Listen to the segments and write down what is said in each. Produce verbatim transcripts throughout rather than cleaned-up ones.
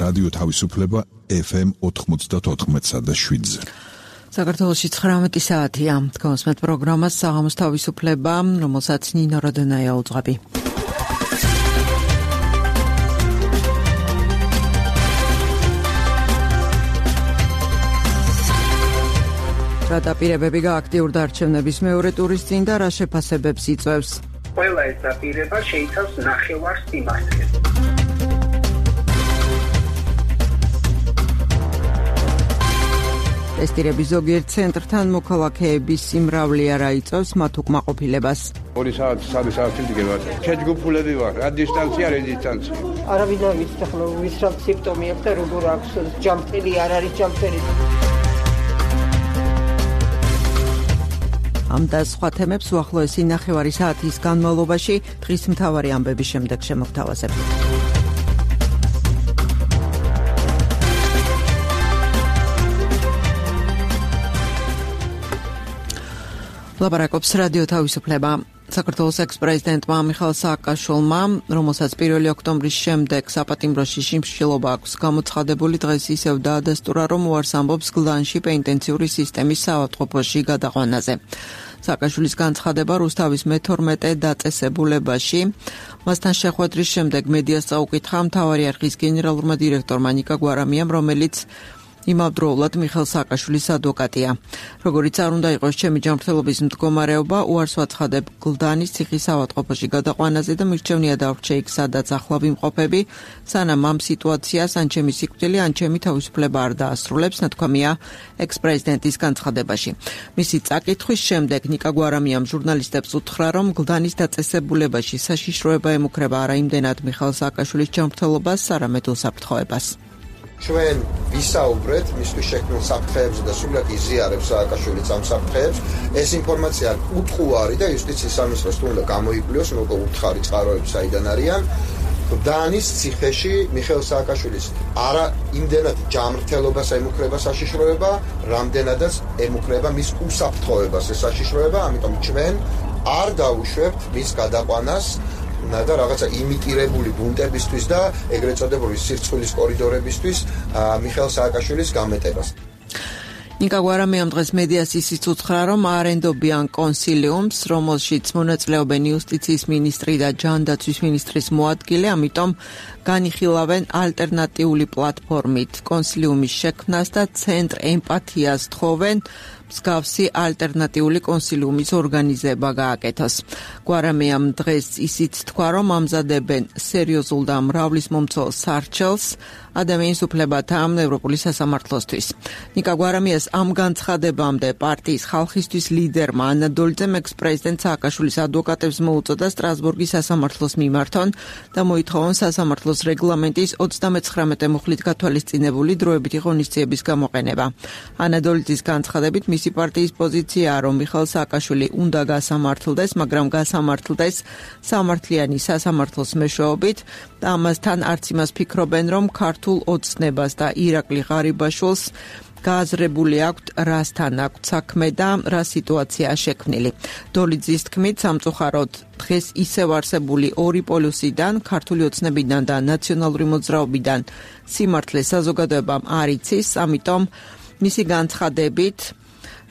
რადიო თავისუფლება ეფ ემ ოთხმოცდაოთხ და შვიდზე. საქართველოში ცხრამეტი საათია. გასმეთ პროგრამას საღამოს თავისუფლება, რომელსაც ნინო როდონაია უძღვები. რა დაპირებები გააქტიურდა არჩევნების მეორე ტურის წინ და რა შეფასებებს იწვევს? ყველა ეს დაპირება შეიცავს ნახევარ სიმართლეს. ტესტირების ზოგიერთ ცენტრთან მოქალაქეების სიმრავლე არ აიწევს მათ უკმაყოფილებას. ორი საათი, სამი საათი დგება. შეჯგუფულები ვარ, რა დისტანცია, რეზისტანცია. არავინ არ ვიცი ახლა ვის რა სიმპტომი აქვს და როგორ აქვს, ჯამწელი არ არის ჯამწელი. ამ და სხვა თემებს უახლოესი ნახევარი საათის განმავლობაში დღის მთავარი ამბების შემდეგ შემოგთავაზებთ. ლაპარაკობს რადიო თავისუფლება. საქართველოს ექს-პრეზიდენტმა მიხეილ სააკაშვილმა, რომელსაც პირველი ოქტომბრის შემდეგ საპატიმროში შიმშილობა აქვს გამოცხადებული, დღეს ისევ დაადასტურა, რომ უარს ამბობს გლდანში პენიტენციური სისტემის საავადმყოფოში გადაყვანაზე. სააკაშვილის განცხადება რუსთავის მეთორმეტე დაწესებულებაში. მასთან შეხვედრის შემდეგ მედიას წაუკითხა მთავარი არხის გენერალურმა დირექტორმა ნიკა გვარამიამ, რომელიც იმავდროულად მიხეილ სააკაშვილის ადვოკატია. როგორიც არ უნდა იყოს ჩემი ჯანმრთელობის მდგომარეობა, უარს ვაცხადებ გლდანის ციხის საავადმყოფოში გადაყვანაზე და მირჩევნია დავრჩე იქ, სადაც ახლა ვიმყოფები, სანამ ამ სიტუაციას ან ჩემი სიკვდილი, ან ჩემი თავისუფლება არ დაასრულებს, ნათქვამია ექს-პრეზიდენტის განცხადებაში. მისი წაკითხვის შემდეგ ნიკა გვარამიამ ჟურნალისტებს უთხრა, რომ გლდანის დაწესებულებაში საშიშროება ემუქრება არა იმდენად მიხეილ სააკაშვილის ჯანმრთელობას, არამედ უსაფრთხოებას. ჩვენ ვისაუბრეთ მისთვის შექმნილ საფრთხეებზე და სულად იზიარებს სააკაშვილიც ამ საფრთხეებს. ეს ინფორმაცია უტყუარი და იუსტიციის სამინისტროს თუ უნდა გამოიკვლიოს, როგორ უთხარი წყაროები საიდან არიან. გლდანის ციხეში მიხეილ სააკაშვილის არა იმდენად ჯანმრთელობას ემუქრება საშიშროება, რამდენადაც ემუქრება მის უსაფრთხოებას ეს საშიშროება, ამიტომ ჩვენ არ დავუშვებთ მის გადაყვანას და რაღაცა იმიტირებული ბუნტებისთვის და ეგრეთ წოდებული სირცხვილის კორიდორებისთვის მიხეილ სააკაშვილის გამეტებას. ნიკა გვარამიამ დღეს მედიას ისიც უთხრა, რომ აარენდობიან კონსილიუმს, რომელშიც მონაწილეობენ იუსტიციის მინისტრი და ჯანდაცვის მინისტრის მოადგილე, ამიტომ განიხილავენ ალტერნატიული პლატფორმით კონსილიუმის შექმნას და ცენტრ ემპათიას თხოვენ მსგავსი ალტერნატიული კონსილიუმის ორგანიზება გააკეთოს. გვარამიამ დღეს ისიც თქვა, რომ ამზადებენ სერიოზულ და მრავლისმომცველ სარჩელს ადამიანის უფლებათა ევროპული სასამართლოსთვის. ნიკა გვარამიას ამ განცხადებამდე პარტიის ხალხისთვის ლიდერმა ანა დოლიძემ ექს-პრეზიდენტ სააკაშვილის ადვოკატებს მოუწოდა სტრასბურგის სასამართლოს მიმართონ და მოითხოვონ სასამართლოს რეგლამენტის ოცდამეცხრამეტე მუხლით გათვალისწინებული დროებითი ღონისძიების გამოყენება. ანა დოლიძის განცხადებით მისი პარტიის პოზიციაა, რომ მიხეილ სააკაშვილი უნდა გასამართლდეს, მაგრამ გასამართლდეს სამართლიანი სასამართლოს მეშვეობით და ამასთან არც იმას ფიქრობენ, რომ ქართულ ოცნებას და ირაკლი ღარიბაშვილს გააზრებული აქვთ, რასთან აქვთ საქმე და რა სიტუაციაა შექმნილი. დოლიძის თქმით, სამწუხაროდ დღეს ისევ არსებული ორი პოლუსიდან, ქართული ოცნებიდან და ნაციონალური მოძრაობიდან სიმართლე საზოგადოებამ არ იცის, ამიტომ მისი განცხადებით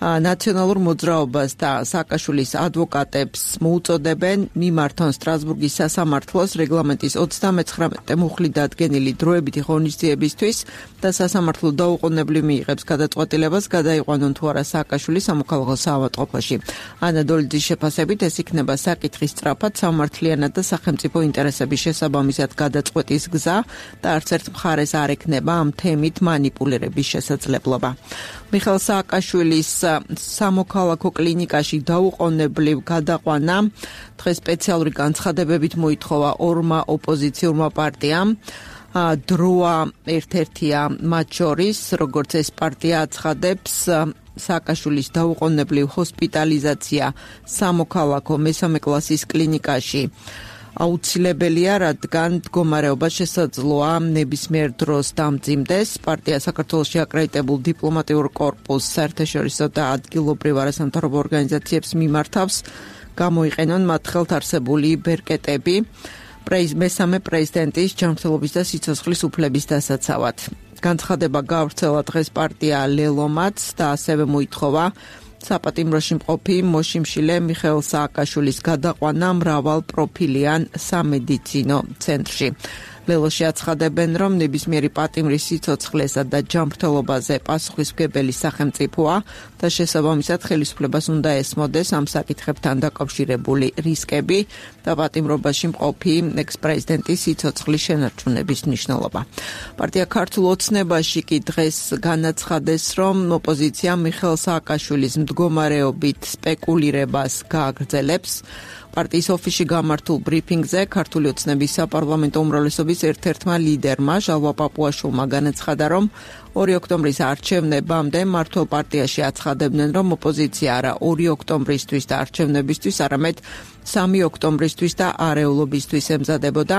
ნაციონალურ მოძრაობას და სააკაშვილის ადვოკატებს მოუწოდებენ მიმართონ სტრასბურგის სასამართლოს რეგლამენტის ოცდამეცხრამეტე მუხლით დადგენილი დროებითი ღონისძიებისთვის და სასამართლო დაუყოვნებლივ მიიღებს გადაწყვეტილებას გადაიყვანონ თუ არა სააკაშვილი სამოქალაქო საავადმყოფოში. ანა დოლიძის შეფასებით ეს იქნება საკითხის სწრაფად სამართლიანად და სახელმწიფო ინტერესების შესაბამისად გადაწყვეტის გზა და არც ერთ მხარეს არ ექნება ამ თემით მანიპულირების შესაძლებლობა. მიხეილ სააკაშვილის სამოქალაქო კლინიკაში დაუყოვნებლივ გადაყვანა დღეს სპეციალური განცხადებებით მოითხოვა ორმა ოპოზიციურმა პარტიამ. დროა ერთ-ერთია მათ შორის, როგორც ეს პარტია აცხადებს, სააკაშვილის დაუყოვნებლივ ჰოსპიტალიზაცია სამოქალაქო მესამე კლასის კლინიკაში აუცილებელია, რადგან მდგომარეობა შესაძლოა ნებისმიერ დროს დამძიმდეს. პარტია საქართველოში აკრედიტებულ დიპლომატიურ კორპუსს, საერთაშორისო და ადგილობრივ არასამთავრობო ორგანიზაციებს მიმართავს გამოიყენონ მათ ხელთ არსებული ბერკეტები. მესამე პრეზიდენტის ჯანმრთელობის და სიცოცხლის უფლების დასაცავად. განცხადება გავრცელა დღეს პარტია ლელომაც და ასევე მოითხოვა საპატიმროში მყოფი მოშიმშილე მიხეილ სააკაშვილის გადაყვანა მრავალ პროფილიან სამედიცინო ცენტრში. ლელოში აცხადებენ, რომ ნებისმიერი პატიმრის სიცოცხლესა და ჯანმრთელობაზე პასუხისმგებელი სახელმწიფოა და შესაბამისად ხელისუფლებას უნდა ესმოდეს ამ საკითხებთან დაკავშირებული რისკები და პატიმრობაში მყოფი ექს-პრეზიდენტის სიცოცხლის შენარჩუნების მნიშვნელობა. პარტია ქართულ ოცნებაში კი დღეს განაცხადეს, რომ ოპოზიცია მიხეილ სააკაშვილის მდგომარეობით სპეკულირებას გააგრძელებს. პარტიის ოფისში გამართულ ბრიფინგზე ქართული ოცნების საპარლამენტო უმრავლესობის ერთ-ერთმა ლიდერმა ჟალვა პაპუაშვილმა განაცხადა, რომ ორი ოქტომბრის არჩევნებამდე მმართველ პარტიაში აცხადებდნენ, რომ ოპოზიცია არა ორი ოქტომბრისთვის და არჩევნებისთვის, არამედ სამი ოქტომბრისთვის და არეულობისთვის ემზადებოდა.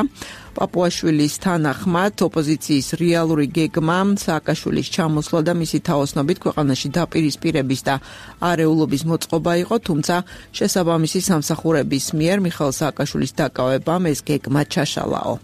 პაპუაშვილის თანახმად, ოპოზიციის რეალური გეგმა სააკაშვილის ჩამოსვლა და მისი თაოსნობით ქვეყანაში დაპირისპირების და არეულობის მოწყობა იყო, თუმცა შესაბამისი სამსახურების მიერ მიხეილ სააკაშვილის დაკავებამ ეს გეგმა ჩაშალაო.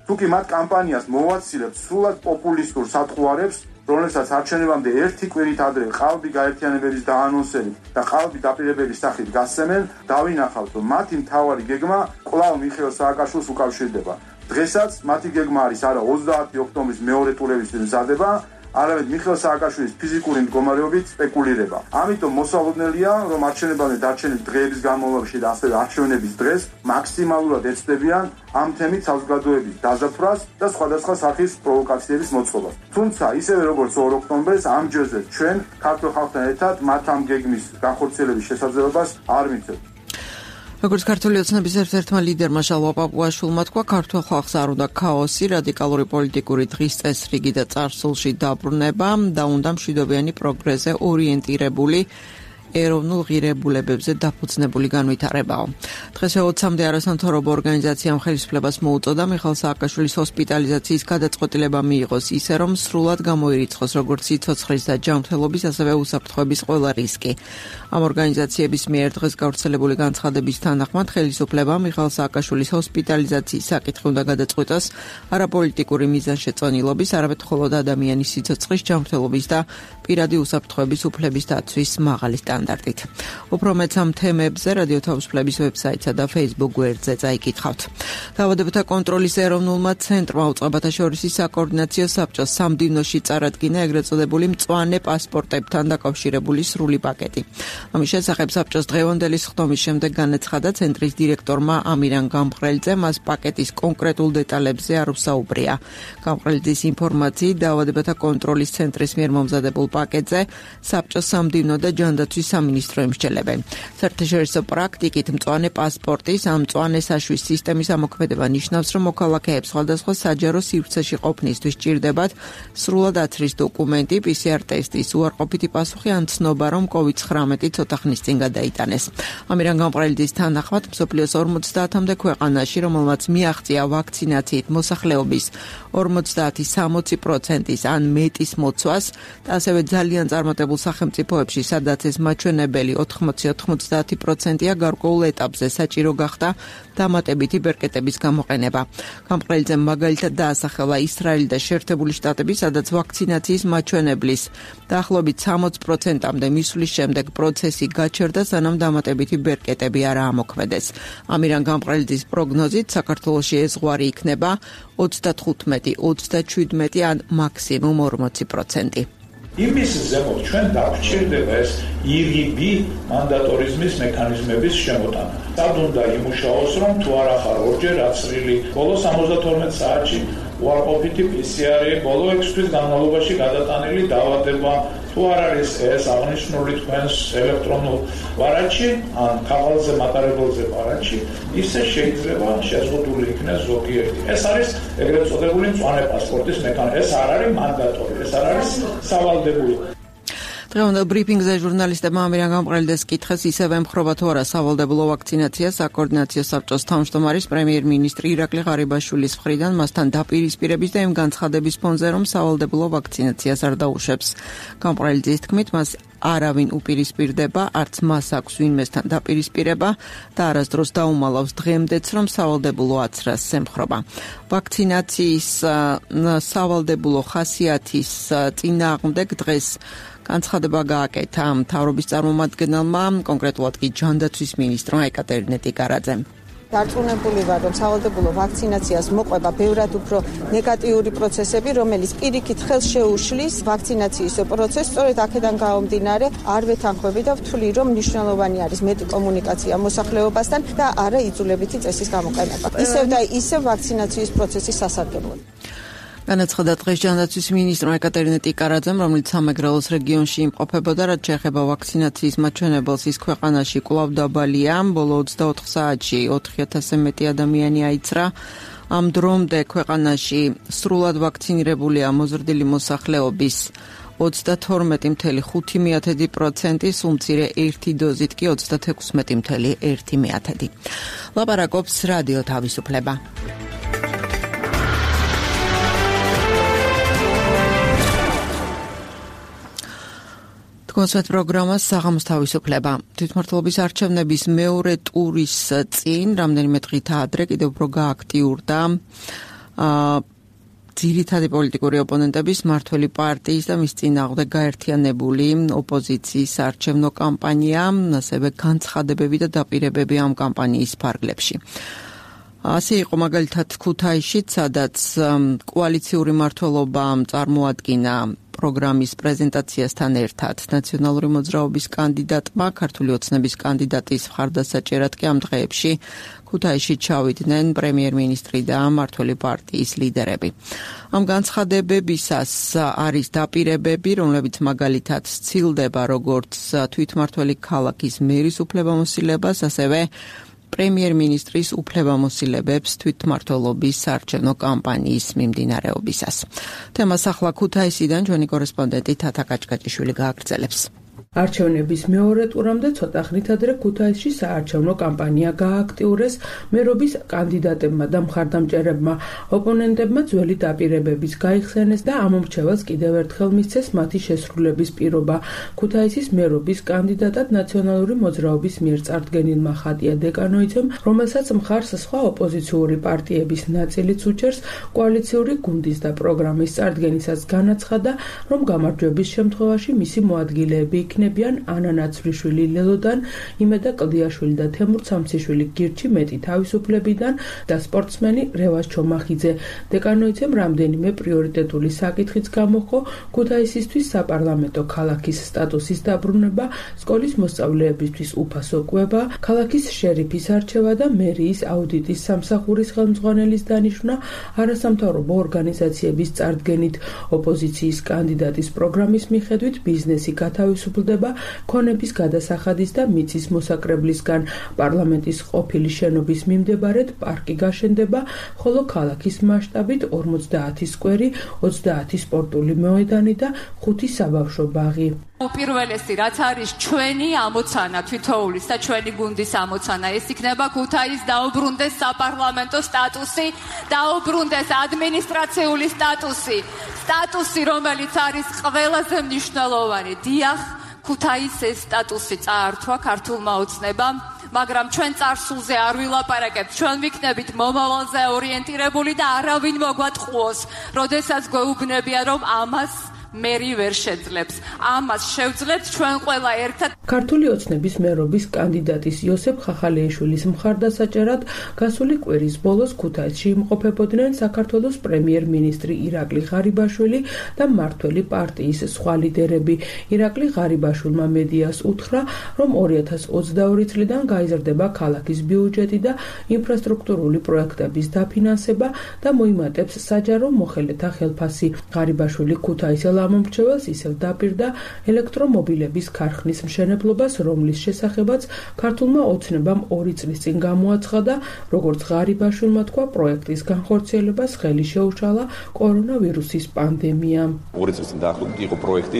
თუკი მათ კამპანიას მოვაცილებს სრულად პოპულისტურ სათხოვარებს, რომელსაც არჩევნებამდე ერთი კვირით ადრე ყალბი გაერთიანებების დაანონსებით და ყალბი დაპირებების სახით გასცემენ, დავინახავთ, რომ მათი მთავარი გეგმა კვლავ მიხეილ სააკაშვილს უკავშირდება. დღესაც მათი გეგმა არის არა ოცდაათი ოქტომბრის მეორე ტურების მზადება, არამედ მიხეილ სააკაშვილის ფიზიკური მდგომარეობით სპეკულირება. ამიტომ მოსალოდნელია, რომ არჩევნებამდე დარჩენილი დღეების განმავლობაში და ასევე არჩევნების დღეს მაქსიმალურად ეცდებიან ამ თემით საზოგადოების დაზაფრას და სხვადასხვა სახის პროვოკაციების მოწყობას. თუმცა, ისევე როგორც ორ ოქტომბერს, ამ ჯერზე ჩვენ ქართულ ხალხთან ერთად მათ ამ გეგმის განხორციელების შესაძლებლობას არ მიცემთ. როგორც ქართული ოცნების ერთ-ერთმა ლიდერმა ჟალვა პაპუაშვილმა თქვა, ქართულ ხალხს არ უნდა ქაოსი, რადიკალური პოლიტიკური დღის წესრიგი და წარსულში დაბრუნება და უნდა მშვიდობიანი პროგრესზე ორიენტირებული ეროვნულ ღირებულებებზე დაფუძნებული განვითარებაო. დღეს ოცამდე არასამთავრობო ორგანიზაციამ ხელისუფლებას მოუწოდა მიხეილ სააკაშვილის ჰოსპიტალიზაციის გადაწყვეტილება მიიღოს ისე, რომ სრულად გამოირიცხოს როგორც სიცოცხლის და ჯანმრთელობის, ასევე უსაფრთხოების ყველა რისკი. ამ ორგანიზაციების მიერ დღეს გავრცელებული განცხადების თანახმად ხელისუფლებამ მიხეილ სააკაშვილის ჰოსპიტალიზაციის საკითხი უნდა გადაწყვეტოს არაპოლიტიკური მიზანშეწონილობის, არამედ მხოლოდ ადამიანის სიცოცხლის, ჯანმრთელობის და პირადი უსაფრთხოების უფლების დაცვის მაღალი სტანდარტით. უფრო მეც ამ თემებზე რადიო თავისუფლების ვებსაიტსა და Facebook გვერდზე წაიკითხავთ. დაავადებათა კონტროლის ეროვნულმა ცენტრმა უწყებათა შორის საკოორდინაციო საბჭოს სამდივნოში წარადგინა ეგრეთ წოდებული მწვანე პასპორტებთან დაკავშირებული სრული პაკეტი. ამის შესახებ საბჭოს დღევანდელი სხდომის შემდეგ განაცხადა ცენტრის დირექტორმა ამირან გამყრელიძემ, მას პაკეტის კონკრეტულ დეტალებზე არ უსაუბრია. გამყრელიძის ინფორმაციით, დაავადებათა კონტროლის ცენტრის მიერ მომზადებულ პაკეტზე საბჭოს სამდივნო და ჯანდაცვის სამინისტრო ემსჯელებენ. საერთაშორისო პრაქტიკით მწვანე პასპორტის ამ მწვანე საშვის სისტემის ამოქმედება ნიშნავს, რომ მოქალაქეებს სხვადასხვა საჯარო სივრცეში ყოფნისთვის სჭირდებათ სრულად აცრის დოკუმენტი, პი სი არ ტესტის უარყოფითი პასუხი ან ცნობა, რომ კოვიდ ცხრამეტი ცოტა ხნის წინ გადაიტანეს. ამირან გამყრელიძის თანახმად, მსოფლიოს ორმოცდაათამდე ქვეყანაში, რომელმაც მიაღწია ვაქცინაციით მოსახლეობის ორმოცდაათი სამოცი პროცენტის ან მეტის მოცვას და ასევე ძალიან წარმატებულ სახელმწიფოებში, სადაც ეს მაჩვენებელი ოთხმოცი ოცდაათი პროცენტია, გარკვეულ ეტაპზე საჭირო გახდა დამატებითი ბერკეტების გამოყენება. გამყრელიძემ მაგალითად დაასახელა ისრაელი და შეერთებული შტატები, სადაც ვაქცინაციის მაჩვენებლის დაახლოებით სამოცი პროცენტამდე მისვლის შემდეგ პროცესი გაჩერდა, სანამ დამატებითი ბერკეტები არ ამოქმედეს. ამირან გამყრელიძის პროგნოზით საქართველოში ეს ზღვარი იქნება ოცდათხუთმეტი, ოცდაშვიდმეტი ან მაქსიმუმ ორმოცი პროცენტი. იმის ზემოთ ჩვენ დაგვჭირდება ეს ირგიბი მანდატორიზმის მექანიზმების შემოტანა. სად უნდა იმუშაოს, რომ თუ არ ახარ ორჯერ აცრილი ბოლო სამოცდათორმეტ საათში უარყოფითი პი სი არი, ბოლო ექვსი თვის განმავლობაში გადატანილი დაავადება, თუ არ არის ეს აღნიშნული თქვენს ელექტრონულ ვარაჩი ან ქაღალდზე მატარებელზე ვარაჩი, ისე შეიძლება შეზღუდული იქნეს ზოგიერთი. ეს არის ეგრეთ წოდებული მწვანე პასპორტის მექანიზმი. ეს არ არის მანდატორი, ეს არ არის სავალდებულო. დღევანდელ ბრიფინგზე ჟურნალისტებმა ამირან გამყრელიდეს კითხეს ისევ ემხრობა თუ არა სავალდებულო ვაქცინაცია საკოორდინაციო საბჭოს თავმჯდომარის პრემიერ-მინისტრი ირაკლი ღარიბაშვილის მხრიდან მასთან დაპირისპირების და იმ განცხადების ფონზე, რომ სავალდებულო ვაქცინაციას არ დაუშვებს. გამყრელიძის თქმით, მას არავინ უპირისპირდება, არც მას აქვს ვინმესთან დაპირისპირება და არასდროს დაუმალავს დღემდეც, რომ სავალდებულო აცრას ემხრობა. ვაქცინაციის სავალდებულო ხასიათის წინააღმდეგ დღეს განცხადება გააკეთა მთავრობის წარმომადგენელმა, კონკრეტულად კი ჯანდაცვის მინისტრმა ეკატერინე ტიკარაძემ. დარწმუნებული ვარ, რომ სავალდებულო ვაქცინაციას მოყვება ბევრად უფრო ნეგატიური პროცესები, რომელიც პირიქით ხელს შეუშლის ვაქცინაციის პროცესს. სწორედ აქედან გამომდინარე, არ ვეთანხმები და ვთვლი, რომ მნიშვნელოვანი არის მეტი კომუნიკაცია მოსახლეობასთან და არა იძულებითი წესის გამოყენება. ისევ და ისევ ვაქცინაციის პროცესის სასარგებლოდ. განაცხადა დღეს ჯანდაცვის მინისტრმა ეკატერინე ტიკარაძემ, რომელიც სამეგრელოს რეგიონში იმყოფებოდა, რაც შეეხება ვაქცინაციის მაჩვენებელს, ის ქვეყანაში კვლავ დაბალია. ბოლო ოცდაოთხ საათში ოთხი ათასზე მეტი ადამიანი აიცრა. ამ დრომდე ქვეყანაში სრულად ვაქცინირებულია მოზრდილი მოსახლეობის ოცდათორმეტი წუთი ხუთი პროცენტი, სულ მცირე ერთი დოზით კი ოცდათექვსმეტი წუთი ერთი მეათედი. ლაპარაკობს რადიო თავისუფლება. კონცერტ პროგრამას საღამოს თავისუფლება. თვითმმართველობის არჩევნების მეორე ტურის წინ რამდენიმე დღით ადრე კიდევ უფრო გააქტიურდა ძირითადი პოლიტიკური ოპონენტების მმართველი პარტიის და მის წინააღმდეგ გაერთიანებული ოპოზიციის არჩევნო კამპანია, ასევე განცხადებები და დაპირებები ამ კამპანიის ფარგლებში. ასე იყო მაგალითად ქუთაისშიც, სადაც კოალიციური მმართველობა წარმოადგინა პროგრამის პრეზენტაციასთან ერთად ნაციონალური მოძრაობის კანდიდატმა, ქართული ოცნების კანდიდატის მხარდასაჭერად კი ამ დღეებში ქუთაისში ჩავიდნენ პრემიერ-მინისტრი და მმართველი პარტიის ლიდერები. ამ განცხადებებისას არის დაპირებები, რომლებიც მაგალითად სცილდება როგორც თვითმმართველი ქალაქის მერის უფლებამოსილებას, ასევე პრემიერ-მინისტრის უფლებამოსილებებს თვითმმართველობის საარჩევნო კამპანიის მიმდინარეობისას. თემას ახლა ქუთაისიდან ჩვენი კორესპონდენტი თათა კაჭკაჭიშვილი გააგრძელებს. არჩევნების მეორე ტურამდე ცოტა ხნით ადრე ქუთაისში საარჩევნო კამპანია გააქტიურეს. მერობის კანდიდატებმა და მხარდამჭერებმა ოპონენტებმა ძველი დაპირებების გაიხსენეს და ამ მრჩეველს კიდევ ერთხელ მისცეს მათი შესრულების პირობა. ქუთაისის მერობის კანდიდატად ნაციონალური მოძრაობის მიერ წარდგენილმა ხატია დეკანოიძემ, რომელსაც მხარს სხვა ოპოზიციური პარტიების ნაწილიც უჭერს, კოალიციური გუნდის და პროგრამის წარდგენისას განაცხადა, რომ გამარჯვების შემთხვევაში მისი მოადგილეები იქნებიან ანა ნაცვლიშვილი ლელოდან, იმედა კლდიაშვილი და თემურ სამციშვილი გირჩი მეტი თავისუფლებიდან და სპორტსმენი რევაზ ჩომახიძე. დეკანოიძემ რამდენიმე პრიორიტეტული საკითხიც გამოხო, ქუთაისისთვის საპარლამენტო ქალაქის სტატუსის დაბრუნება, სკოლის მოსწავლეებისთვის უფასო კვება, ქალაქის შერიფის არჩევა და მერიის აუდიტის სამსახურის ხელმძღვანელის დანიშვნა არასამთავრობო ორგანიზაციების წარდგენით. ოპოზიციის კანდიდატის პროგრამის მიხედვით ბიზნესი გათავისუფლდება ქონების გადასახადის და მიწის მოსაკრებლისგან. პარლამენტის ყოფილი შენობის მიმდებარედ პარკი გაშენდება, ხოლო ქალაქის მასშტაბით ორმოცდაათი სკვერი, ოცდაათი სპორტული მოედანი და ხუთი საბავშვო ბაღი. უპირველესი, რაც არის ჩვენი ამოცანა, თითოეულის და ჩვენი გუნდის ამოცანა, ეს იქნება ქუთაისს დაუბრუნდეს საპარლამენტო სტატუსი, დაუბრუნდეს ადმინისტრაციული სტატუსი, სტატუსი, რომელიც არის ყველაზე მნიშვნელოვანი. დიახ, ქუთაისს ეს სტატუსი წაართვა ქართულმა ოცნებამ, მაგრამ ჩვენ წარსულზე არ ვილაპარაკებთ, ჩვენ ვიქნებით მომავალზე ორიენტირებული და არავინ მოგვატყუოს, როდესაც გვეუბნებიან, რომ ამას მერი ვერ შეძლებს. ამას შევძლებთ ჩვენ ყველა ერთად. ქართული ოცნების მერობის კანდიდატის იოსებ ხახალეიშვილის მხარდასაჭერად გასული კვირის ბოლოს ქუთაისში იმყოფებოდნენ საქართველოს პრემიერ-მინისტრი ირაკლი ღარიბაშვილი და მმართველი პარტიის სხვა ლიდერები. ირაკლი ღარიბაშვილმა მედიას უთხრა, რომ ორი ათას ოცდაორი წლიდან გაიზრდება ქალაქის ბიუჯეტი და ინფრასტრუქტურული პროექტების დაფინანსება და მოიმატებს საჯარო მოხელეთა ხელფასი. ღარიბაშვილი ქუთაისელ ამომრჩეველს ისევ დაპირდა ელექტრომობილების ქარხნის მშენებლობას, რომლის შესახებაც ქართულმა ოცნებამ ორი წლის წინ გამოაცხადა, როგორც ღარიბაშვილმა თქვა, პროექტის განხორციელებას ხელი შეუშალა კორონავირუსის პანდემიამ. ორი წლის წინ დაახლოებით იყო პროექტი,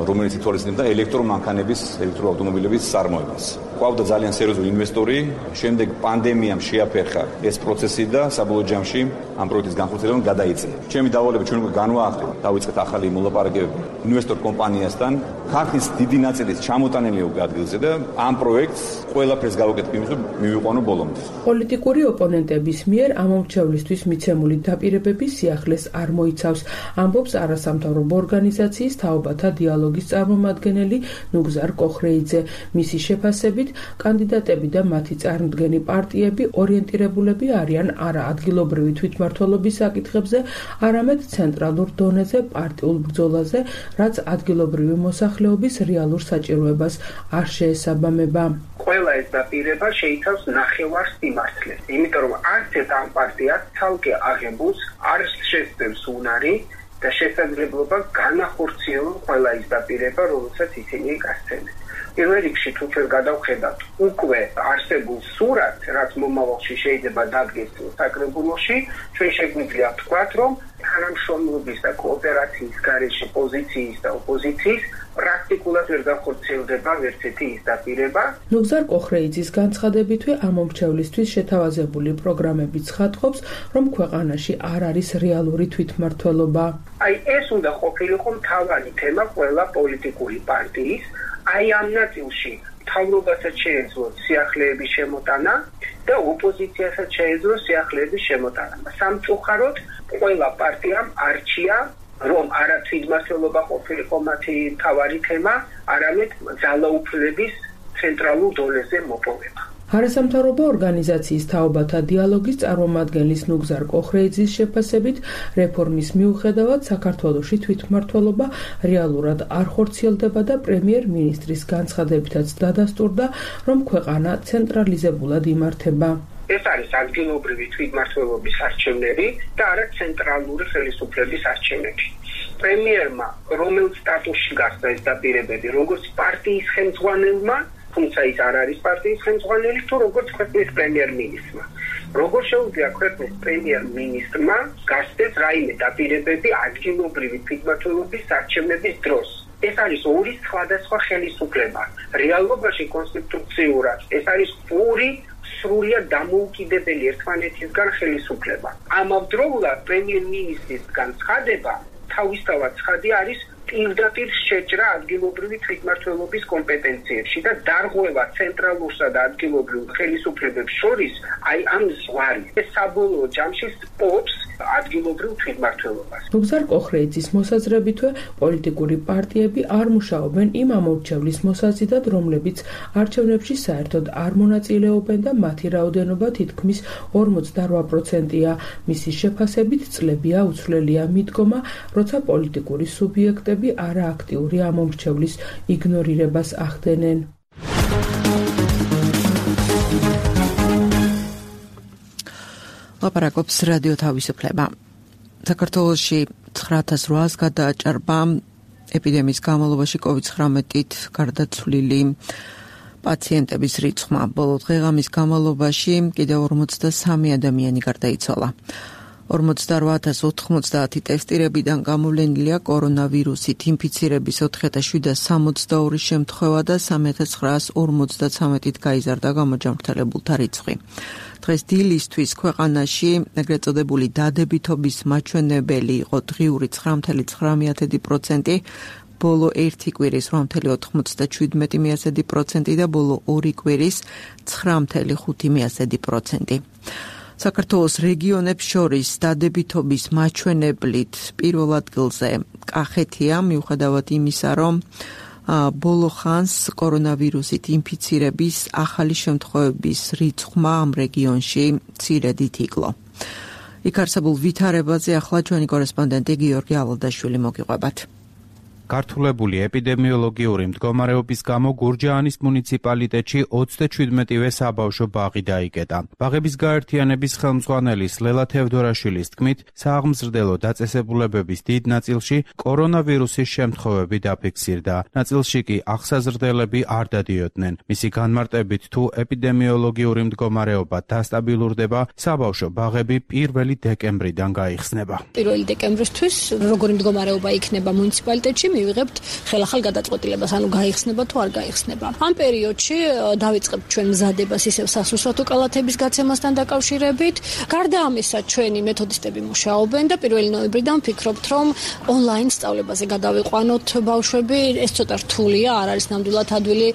რომელიც ითვალისწინებდა ელექტრომანქანების, ელექტროავტომობილების წარმოებას. ყავდა ძალიან სერიოზული ინვესტორი, შემდეგ პანდემიამ შეაფერხა ეს პროცესი და საბოლოო ჯამში ამ პროექტის განხორციელება გადაიწია. ჩემი დავალება ჩვენ უკვე განვაახდით, დავიწყეთ ახალი მოლაპარაკებები ინვესტორ კომპანიასთან. ქარხნის დიდი ნაწილი ჩამოტანილია უკვე ადგილზე და ამ პროექტს ყველაფერს გავაკეთებ იმის, რომ მივიყვანო ბოლომდე. პოლიტიკური ოპონენტების მიერ ამომრჩევლისთვის მიცემული დაპირებები სიახლეს არ მოიცავს, ამბობს არასამთავრობო ორგანიზაციის თაობათა დიალოგის წარმომადგენელი ნუგზარ კოხრეიძე. მისი შეფასებით, კანდიდატები და მათი წარმომადგენელი პარტიები ორიენტირებულები არიან არა ადგილობრივი თვითმმართველობის საკითხებზე, არამედ ცენტრალურ დონეზე პარტიულ ბრძოლაზე, რაც ადგილობრივი მოსახლეობის რეალურ საჭიროებას არ შეესაბამება. ყველა ეს დაპირება შეიცავს ნახევარს სიმართლეს, იმიტომ რომ არც ერთ ამ პარტიას ცალკე აღებულს არ შესწევს უნარი და შესაძლებლობა განახორციელონ ყველა ის დაპირება, რომელსაც ისინი გასცემენ. პირველ რიგში თუ ჩვენ გადავხედავთ უკვე არსებულ სურათს, რაც მომავალში შეიძლება დადგეს საკრებულოში, ჩვენ შეგვიძლია ვთქვათ, რომ თანამშრომლობის და კოოპერაციის გარეშე პოზიციის და ოპოზიციის პრაქტიკულად ვერ განხორციელდება ვერცერთი ის დაპირება. ნუგზარ კოხრეიძის განცხადებითვე ამომრჩევლისთვის შეთავაზებული პროგრამები ცხადყოფს, რომ ქვეყანაში არ არის რეალური თვითმმართველობა. აი ეს უნდა ყოფილიყო მთავარი თემა ყველა პოლიტიკური პარტიის. აი ამ ნაწილში მთავრობასაც შეეძლო სიახლეების შემოტანა და ოპოზიციასაც შეეძლო სიახლეების შემოტანა. სამწუხაროდ ყველა პარტიამ არჩია, რომ არა თვითმმართველობა ყოფილიყო მათი მთავარი თემა, არამედ ძალაუფლების ცენტრალურ დონეზე მოპოვება. არასამთავრობო ორგანიზაციის თაობათა დიალოგის წარმომადგენლის ნუგზარ კოხრეიძის შეფასებით, რეფორმის მიუხედავად საქართველოში თვითმმართველობა რეალურად არ ხორციელდება და პრემიერ-მინისტრის განცხადებითაც დადასტურდა, რომ ქვეყანა ცენტრალიზებულად იმართება. ეს არის ადგილობრივი თვითმმართველობის არჩევნები და არა ცენტრალური ხელისუფლების არჩევნები. პრემიერმა რომელ სტატუსში გახდა ეს დაპირებები, როგორც პარტიის ხელმძღვანელმა, თუმცა ის არ არის პარტიის ხელმძღვანელი, თუ როგორც ქვეყნის პრემიერ-მინისტრმა. როგორ შეუძლია ქვეყნის პრემიერ-მინისტრმა გასცეს რაიმე დაპირებები ადგილობრივი თვითმმართველობის არჩევნების დროს? ეს არის ორი სხვადასხვა ხელისუფლება. რეალობაში კონსტიტუციურად ეს არის ორი სრულიად დამოუკიდებელი ერთმანეთისგან ხელისუფლება. ამავდროულად პრემიერ-მინისტრის განცხადება თავისთავად ცხადი არის პირდაპირ შეჭრა ადგილობრივი თვითმმართველობის კომპეტენციებში და დარღვევა ცენტრალურსა და ადგილობრივ ხელისუფლებებს შორის აი ამ ზღვარი. ეს საბოლოო ჯამში სპობს ადგილობრივ თვითმმართველობას. ნუგზარ კოხრეიძის მოსაზრებითვე, პოლიტიკური პარტიები არ მუშაობენ იმ ამორჩევლის მოსაზიდად, რომლებიც არჩევნებში საერთოდ არ მონაწილეობენ და მათი რაოდენობა თითქმის ორმოცდარვა პროცენტია. მისი შეფასებით წლებია უცვლელია მიდგომა, როცა პოლიტიკური სუბიექტები არააქტიური ამომრჩევლის იგნორირებას ახდენენ. ლაპარაკობს რადიო თავისუფლება. საქართველოში ცხრა ათას რვაას გადააჭარბა ეპიდემიის განმავლობაში კოვიდ ცხრამეტით გარდაცვლილი პაციენტების რიცხვმა. ბოლო დღე-ღამის განმავლობაში კიდევ ორმოცდასამი ადამიანი გარდაიცვალა. ორმოცდარვა ათას ოთხმოცდაათი ტესტირებიდან გამოვლენილია კორონავირუსით ინფიცირების ოთხი ათას შვიდსათ სამოცდაორი შემთხვევა და სამი ათას ცხრაას ორმოცდაცამეტით გაიზარდა გამოჯანმრთელებულთა რიცხვი. დღეს დილისთვის ქვეყანაში ეგრეთ წოდებული დადებითობის მაჩვენებელი იყო დღიური ცხრა ათას ცხრა პროცენტი, ბოლო ერთი კვირის რვა ათას შვიდმეტი პროცენტი და ბოლო ორი კვირის ცხრა ათას ხუთი პროცენტი. საქართველოს რეგიონებს შორის დადებითობის მაჩვენებლით პირველ ადგილზე კახეთია, მიუხედავად იმისა, რომ ბოლო ხანს კორონავირუსით ინფიცირების ახალი შემთხვევების რიცხვმა ამ რეგიონში მცირედით იკლო. იქ არსებულ ვითარებაზე ახლა ჩვენი კორესპონდენტი გიორგი ალადაშვილი მოგიყვებათ. გართულებული ეპიდემიოლოგიური მდგომარეობის გამო გურჯაანის მუნიციპალიტეტში ოცდაჩვიდმეტივე საბავშვო ბაღი დაიკეტა. ბაღების გაერთიანების ხელმძღვანელის ლელა თევდორაშვილის თქმით, სააღმზრდელო დაწესებულებების დიდ ნაწილში კორონავირუსის შემთხვევები დაფიქსირდა. ნაწილში კი აღსაზრდელები არ დადიოდნენ. მისი განმარტებით, თუ ეპიდემიოლოგიური მდგომარეობა დასტაბილურდება, საბავშვო ბაღები პირველი დეკემბრიდან გაიხსნება. პირველი დეკემბრისთვის როგორი მდგომარეობა იქნება მუნიციპალიტეტში, მივიღებთ ხელახალ გადაწყვეტილებას, ანუ გაიხსნება თუ არ გაიხსნება. ამ პერიოდში დავიწყებთ ჩვენ მზადებას ისევ სასურსათო კალათების გაცემასთან დაკავშირებით. გარდა ამისა, ჩვენი მეთოდისტები მუშაობენ და პირველი ნოემბრიდან ვფიქრობთ, რომ ონლაინ სწავლებაზე გადავიყვანოთ ბავშვები. ეს ცოტა რთულია, არ არის ნამდვილად ადვილი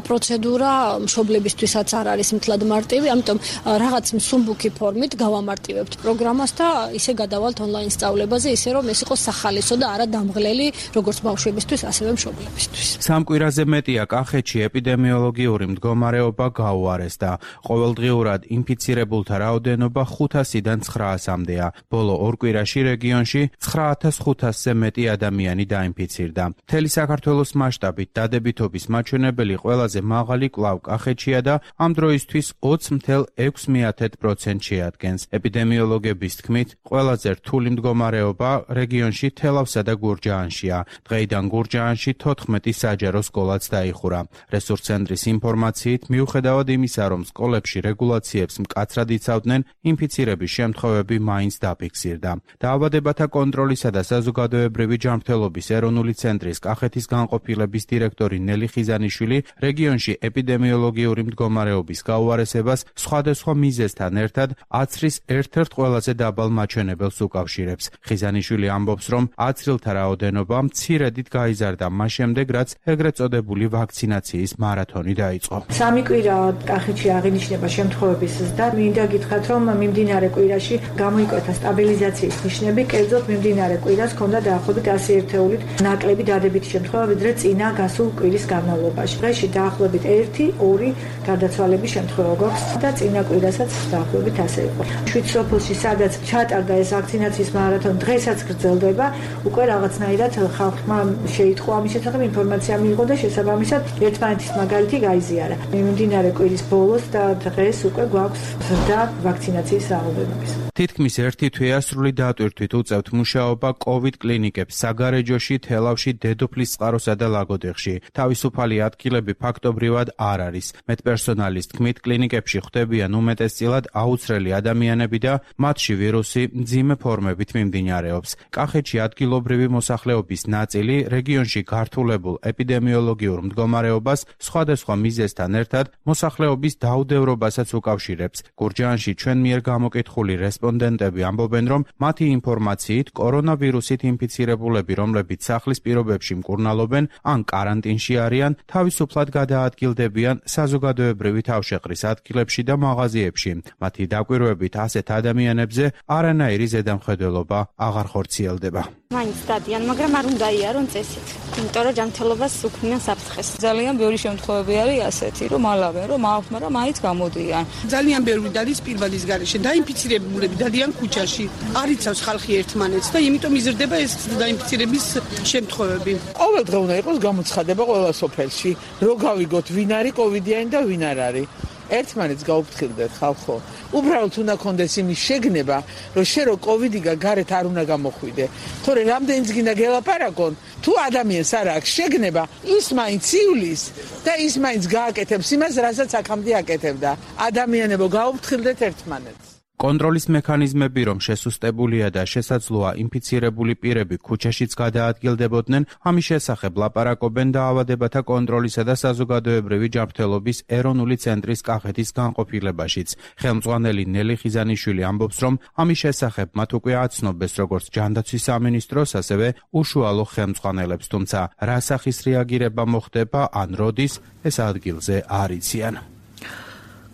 პროცედურა, მშობლებისთვისაც არ არის მთლად მარტივი, ამიტომ რაღაც მსუბუქი ფორმით გავამარტივებთ პროგრამას და ისე გადავალთ ონლაინ სწავლებაზე, ისე რომ ეს იყოს სახალისო და არა დამღლელი, როგორც ბავშვებისთვის, ასევე მშობლებისთვის. სამ კვირაზე მეტია კახეთში ეპიდემიოლოგიური მდგომარეობა გაუარესდა. ყოველდღიურად ინფიცირებულთა რაოდენობა ხუთასიდან ცხრაასამდეა. ბოლო ორ კვირაში რეგიონში ცხრა ათას ხუთასზე მეტი ადამიანი დაინფიცირდა. მთელი საქართველოს მასშტაბით დადებითობის მაჩვენებელი ყველაზე მაღალი კვლავ კახეთშია და ამ დროისთვის ოცი მცდარ ექვსი პროცენტს შეადგენს. ეპიდემიოლოგების თქმით, ყველაზე რთული მდგომარეობა რეგიონში თელავსა და გურჯაანშია. დღეიდან გურჯაანში თოთხმეტი საჯარო სკოლაც დაიხურა. რესურს ცენტრის ინფორმაციით, მიუხედავად იმისა, რომ სკოლებში რეგულაციებს მკაცრად იცავდნენ, ინფიცირების შემთხვევები მაინც დაფიქსირდა. დაავადებათა კონტროლისა და საზოგადოებრივი ჯანმრთელობის ეროვნული ცენტრის კახეთის განყოფილების დირექტორი ნელი ხიზანიშვილი რეგიონში ეპიდემიოლოგიური მდგომარეობის გაუარესებას სხვადასხვა მიზეზთან ერთად აცრის ერთ-ერთ ყველაზე დაბალ მაჩვენებელს უკავშირებს. ხიზანიშვილი ამბობს, რომ აცრილთა რაოდენობა მცირედით გაიზარდა მას შემდეგ, რაც ეგრეთ წოდებული ვაქცინაციის მარათონი დაიწყო. სამი კვირა კახეთში აღინიშნება შემთხვევების ზრდა. მინდა გითხრათ, რომ მიმდინარე კვირაში გამოიკვეთა სტაბილიზაციის ნიშნები, კერძოდ მიმდინარე კვირას ჰქონდა დაახლოებით ასი ერთეულით ნაკლები დადებითი შემთხვევა, ვიდრე წინა გასულ კვირის განმავლობაში. დღეში დაახლოებით ერთი ორი გარდაცვალების შემთხვევა გვაქვს და წინა კვირასაც დაახლოებით ასე იყო. შვიდ სოფელში, სადაც ჩატარდა ეს ვაქცინაციის მარათონი, დღესაც გრძელდება. უკვე რაღაცნაირად ხალხმა შეიტყო ამის შესახებ ინფორმაცია მიიღო და შესაბამისად ერთმანეთის მაგალითი გაიზიარა. მიმდინარე კვირის ბოლოს და დღეს უკვე გვაქვს ზრდა ვაქცინაციის რაოდენობის. თითქმის ერთი თვეა სრული დატვირთვით უწევთ მუშაობა კოვიდ კლინიკებს საგარეჯოში, თელავში, დედოფლისწყაროსა და ლაგოდეხში. თავისუფალი ადგილები ფაქტობრივად არ არის. მედპერსონალის თქმით, კლინიკებში ხვდებიან უმეტესწილად აუცრელი ადამიანები და მათში ვირუსი მძიმე ფორმებით მიმდინარეობს. კახეთში ადგილობრივი მოსახლეობის ნაწილი რეგიონში გართულებულ ეპიდემიოლოგიურ მდგომარეობას სხვადასხვა მიზეზთან ერთად მოსახლეობის დაუდევრობასაც უკავშირებს. გურჯაანში ჩვენ მიერ გამოკითხული რესპონდენტები ამბობენ, რომ მათი ინფორმაციით კორონავირუსით ინფიცირებულები, რომლებიც სახლის პირობებში მკურნალობენ ან კარანტინში არიან, თავისუფლად გადაადგილდებიან საზოგადოებრივი თავშეყრის ადგილებში და მაღაზიებში. მათი დაკვირვებით ასეთ ადამიანებზე არანაირი ზედამხედველობა აღარ ხორციელდება. მაინც დადიან, მაგრამ არ უნდა იარონ წესით. იმიტომ რომ ჯანმრთელობას უქმნიან საფრთხეს. ძალიან ბევრი შემთხვევები არის ასეთი, რომ ალავენ, რომ აქვთ, მაგრამ მაინც გამოდიან. ძალიან ბევრი დადის პირბადის გარეშე, დაინფიცირებულები დადიან ქუჩაში. არ იცავს ხალხი ერთმანეთს და იმიტომ იზრდება ეს დაინფიცირების შემთხვევები. ყოველდღე უნდა იყოს გამოცხადება ყველა სოფელში, რომ გავიგოთ ვინ არის კოვიდიანი და ვინ არ არის. ერთმანეთს გაუფრთხილდეთ ხალხო. უბრალოდ უნდა კონდეს იმის შეგნება, რომ შე რო კოვიდი გარეთ არ უნდა გამოხვიდე. თორე რამდენიც გინდა გელაპარაკონ, თუ ადამიანს არ აქვს შეგნება, ის მაინც ივლის და ის მაინც გააკეთებს იმას, რასაც აქამდე აკეთებდა. ადამიანებო, გაუფრთხილდეთ ერთმანეთს. კონტროლის მექანიზმები რომ შესუსტებულია და შესაძლოა ინფიცირებული პირები ქუჩაშიც გადაადგილდებოდნენ, ამის შესახებ ლაპარაკობენ დაავადებათა კონტროლისა და საზოგადოებრივი ჯანმრთელობის ეროვნული ცენტრის კახეთის განყოფილებაშიც. ხელმძღვანელი ნელი ხიზანიშვილი ამბობს, რომ ამის შესახებ მათ უკვე აცნობეს როგორც ჯანდაცვის სამინისტროს, ასევე უშუალო ხელმძღვანელებს, თუმცა რა სახის რეაგირება მოხდება ან როდის, ეს ადგილზე არ იციან.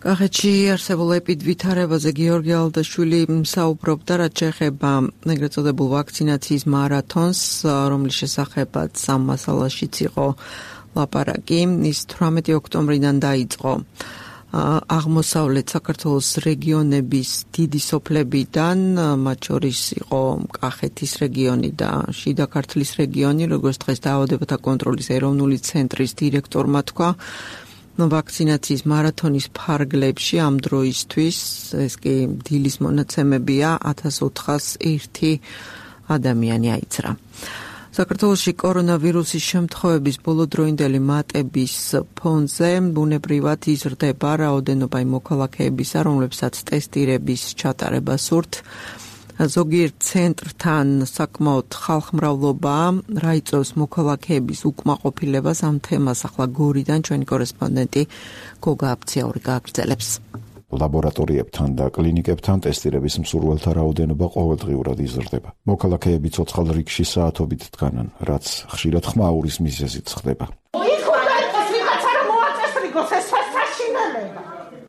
კახეთში არსებულ ეპიდვითარებაზე გიორგი ალდაშვილი საუბრობდა, რაც შეეხება ეგრეთ წოდებულ ვაქცინაციის მარათონს, რომლის შესახებაც ამ მასალაშიც იყო ლაპარაკი. ის თვრამეტი ოქტომბრიდან დაიწყო. აღმოსავლეთ საქართველოს რეგიონების დიდი სოფლებიდან, მათ შორის იყო კახეთის რეგიონი და შიდა ქართლის რეგიონი, როგორც დღეს დაავადებათა კონტროლის ეროვნული ცენტრის დირექტორმა თქვა, ვაქცინაციის მარათონის ფარგლებში ამ დროისთვის, ეს კი დილის მონაცემებია, ათას ოთხას ერთი ადამიანი აიცრა. საქართველოში კორონავირუსის შემთხვევების ბოლოდროინდელი მატების ფონზე ბუნებრივად იზრდება რაოდენობა იმ მოქალაქეებისა, რომლებსაც ტესტირების ჩატარება სურთ. ზოგიერთ ცენტრთან საკმაოდ ხალხმრავლობა რა იწვევს მოქალაქეების უკმაყოფილებას ამ თემას ახლა გორიდან ჩვენი კორესპონდენტი გოგა აბციაური გააგრძელებს. ლაბორატორიებთან და კლინიკებთან ტესტირების მსურველთა რაოდენობა ყოველდღიურად იზრდება. მოქალაქეები ცოცხალ რიგში საათობით დგანან, რაც ხშირად ხმაურის მიზეზით ხდება.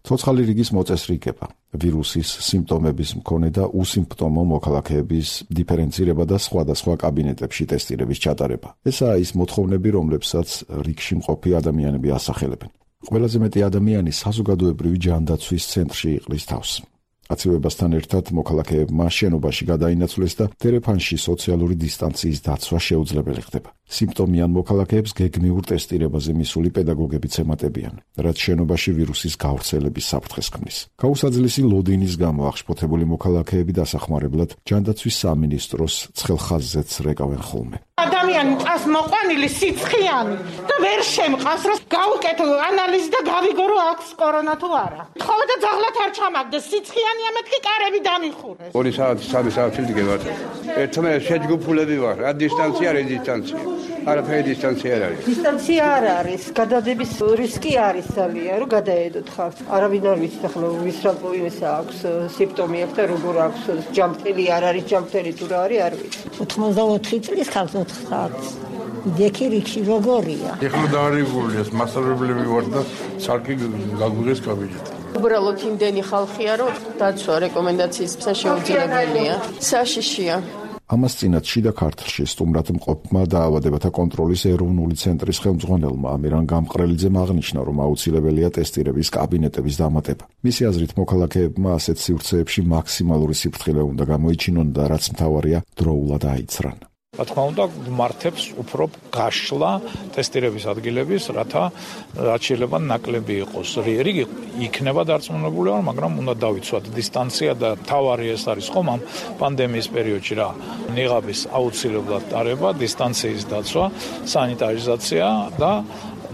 ცოცხალი რიგის მოწესრიგება, ვირუსის სიმპტომების მქონე და უსიმპტომო მოქალაქეების დიფერენცირება და სხვადასხვა კაბინეტებში ტესტირების ჩატარება. ესაა ის მოთხოვნები, რომლებსაც რიგში მყოფი ადამიანები ასახელებენ. ყველაზე მეტი ადამიანი საზოგადოებრივი ჯანდაცვის ცენტრში იყრის თავს. აცივებასთან ერთად მოქალაქეებმა შენობაში გადაინაცვლეს და თერეფანში სოციალური დისტანციის დაცვა შეუძლებელი ხდება. სიმპტომიან მოქალაქეებს გეგმიურ ტესტირებაზე მისული პედაგოგებიც ემატებიან, რაც შენობაში ვირუსის გავრცელების საფრთხეს ქმნის. გაუსაძლისი ლოდინის გამო აღშფოთებული მოქალაქეები დასახმარებლად ჯანდაცვის სამინისტროს ცხელ ხაზზეც რეკავენ ხოლმე. ადამიანი წას მოყვანილი სიცხიანი და ვერ შემყავს, რომ გავუკეთო ანალიზი და გავიგო, რომ აქვს კორონა თუ არა. ხოლმე და ძაღლად არ ჩამაგდეს, სიცხიანია, მეთქი კარები დამიხურეს. ორი საათი, სამი საათი დგებათ. ერთმანეთს შეჯგუფულები ვარ, რა დისტანცია, რეზისტანცია. არაფერი დისტანცია არ არის. დისტანცია არ არის, გადადების რისკი არის ძალიან, რომ გადაედოთ ხალხს. არავინ არ ვიცი ახლა ვის რა პრობლემისა აქვს, სიმპტომი აქვს და როგორ აქვს, ჯამთელი არ არის, ჯამთელი თუ რა არის, არ ვიცი. ოცდაოთხი წლის ხალხს ოთხ საათს. დექი რიგში როგორია? ეხლა დაარიგულია, მასწავლებლები ვარ და სარკი გაგვიღეს კაბინეტი. უბრალოდ იმდენი ხალხია, რომ დაცვა რეკომენდაციის შეუძლებელია. საშიშია. ამას წინათ შიდა ქართლში სტუმრად მყოფმა დაავადებათა კონტროლის ეროვნული ცენტრის ხელმძღვანელმა ამირან გამყრელიძემ აღნიშნა, რომ აუცილებელია ტესტირების კაბინეტების დამატება. მისი აზრით, მოქალაქეებმა ასეთ სივრცეებში მაქსიმალური სიფრთხილე უნდა გამოიჩინონ და რაც მთავარია, დროულად აიცრან. რა თქმა უნდა, გმართებს უფრო გაშლა ტესტირების ადგილების, რათა რაც შეიძლება ნაკლები იყოს. რიგი იქნება დარწმუნებული ვარ, მაგრამ უნდა დავიცვათ დისტანცია და თავარი ეს არის ხომ ამ პანდემიის პერიოდში რა. ნიღაბის აუცილებლად ტარება, დისტანციის დაცვა, სანიტარიზაცია და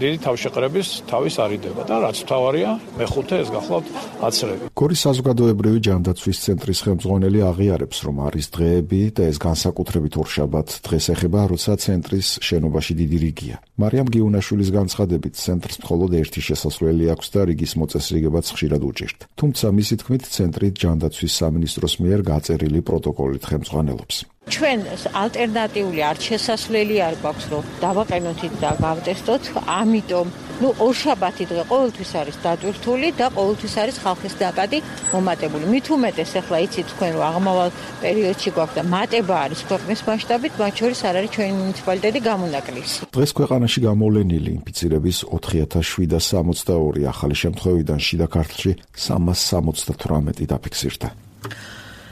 დიდი თავშეყრების თავის არიდება და რაც მთავარია, მეხუთე ეს გახლავთ აცრები. გორის საზოგადოებრივი ჯანდაცვის ცენტრის ხელმძღვანელი აღიარებს, რომ არის დღეები და ეს განსაკუთრებით ორშაბათ დღეს ეხება, როცა ცენტრის შენობაში დიდი რიგია. მარიამ გიუნაშვილის განცხადებით, ცენტრს მხოლოდ ერთი შესასვლელი აქვს და რიგის მოწესრიგებაც ხშირად უჭირთ. თუმცა მისი თქმით, ცენტრი ჯანდაცვის სამინისტროს მიერ გაწერილი პროტოკოლით ხელმძღვანელობს. ჩვენ ალტერნატიული არ შესასვლელი არ გვაქვს, რომ დავაყენოთ და გავტესტოთ, ამიტომ ნუ ორშაბათი დღე ყოველთვის არის დატვირთული და ყოველთვის არის ხალხის ნაკადი მომატებული. მით უმეტეს ახლა იცით თქვენ, რომ აღმავალ პერიოდში გვაქვს და მატება არის ქვეყნის მასშტაბით, მათ შორის არ არის ჩვენი მუნიციპალიტეტი გამონაკლისი. დღეს ქვეყანაში გამოვლენილი ინფიცირების ოთხი ათას შვიდას სამოცდაორი ახალი შემთხვევიდან შიდა ქართლში სამას სამოცდათვრამეტი დაფიქსირდა.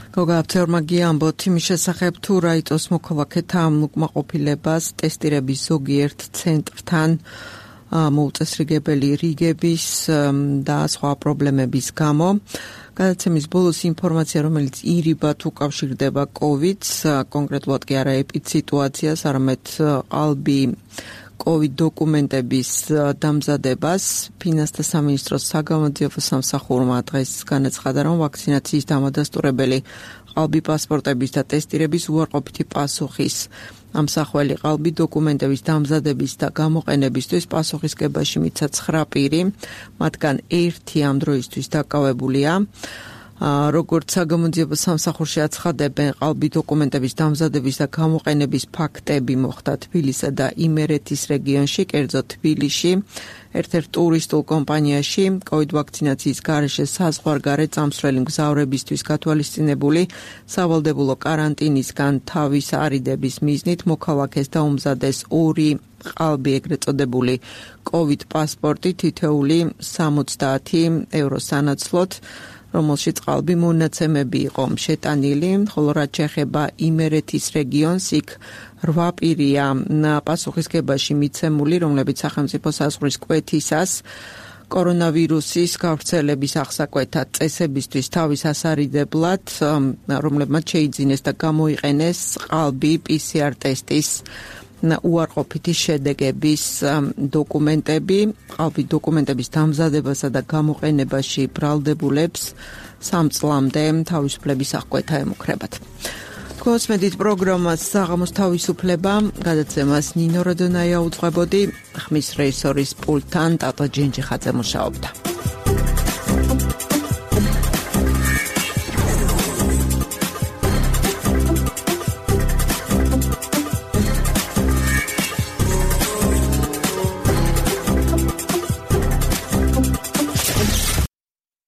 გოგა აბციაურმა გიამბოთ იმის შესახებ, თუ რა იწვევს მოქალაქეთა ამ უკმაყოფილებას ტესტირების ზოგიერთ ცენტრთან მოუწესრიგებელი რიგების და სხვა პრობლემების გამო. გადაცემის ბოლოს ინფორმაცია, რომელიც ირიბად უკავშირდება კოვიდს, კონკრეტულად კი არა ეპიდსიტუაციას, არამედ ყალბი კოვიდ დოკუმენტების დამზადებას, ფინანსთა სამინისტროს საგამოძიებო სამსახურმა დღეს განაცხადა, რომ ვაქცინაციის დამადასტურებელი ყალბი პასპორტების და ტესტირების უარყოფითი პასუხის ამსახველი ყალბი დოკუმენტების დამზადების და გამოყენებისთვის პასუხისგებაში მიცა ცხრა პირი, მათგან ერთი ამ დროისთვის დაკავებულია. როგორც საგამოძიებო სამსახურში აცხადებენ, ყალბი დოკუმენტების დამზადების და გამოყენების ფაქტები მოხდა თბილისსა და იმერეთის რეგიონში, კერძოდ თბილისში, ერთ-ერთ ტურისტულ კომპანიაში კოვიდ ვაქცინაციის გარეშე საზღვარგარეთ წამსვლელი მგზავრებისთვის გათვალისწინებული სავალდებულო კარანტინისგან თავის არიდების მიზნით მოქალაქეს დაუმზადეს ორი ყალბი, ეგრეთ წოდებული კოვიდ პასპორტი თითოეული სამოცდაათი ევრო სანაცვლოდ, რომელშიც ყალბი მონაცემები იყო შეტანილი, ხოლო რაც შეეხება იმერეთის რეგიონს, იქ რვა პირია პასუხისგებაში მიცემული, რომლებიც სახელმწიფო საზღვრის კვეთისას კორონავირუსის გავრცელების აღსაკვეთად წესებისთვის თავის ასარიდებლად, რომლებმაც შეიძინეს და გამოიყენეს ყალბი პი სი არ ტესტის უარყოფითი შედეგების დოკუმენტები, ყალბი დოკუმენტების დამზადებასა და გამოყენებაში ბრალდებულებს სამ წლამდე თავისუფლების აღკვეთა ემუქრებათ. Თქვენს პროგრამას საღამოს თავისუფლება გადაცემას ნინო როდონაია უძღვებოდი, ხმის რეჟისორის პულტთან ტატო ჯენჯიხაძე მუშაობდა.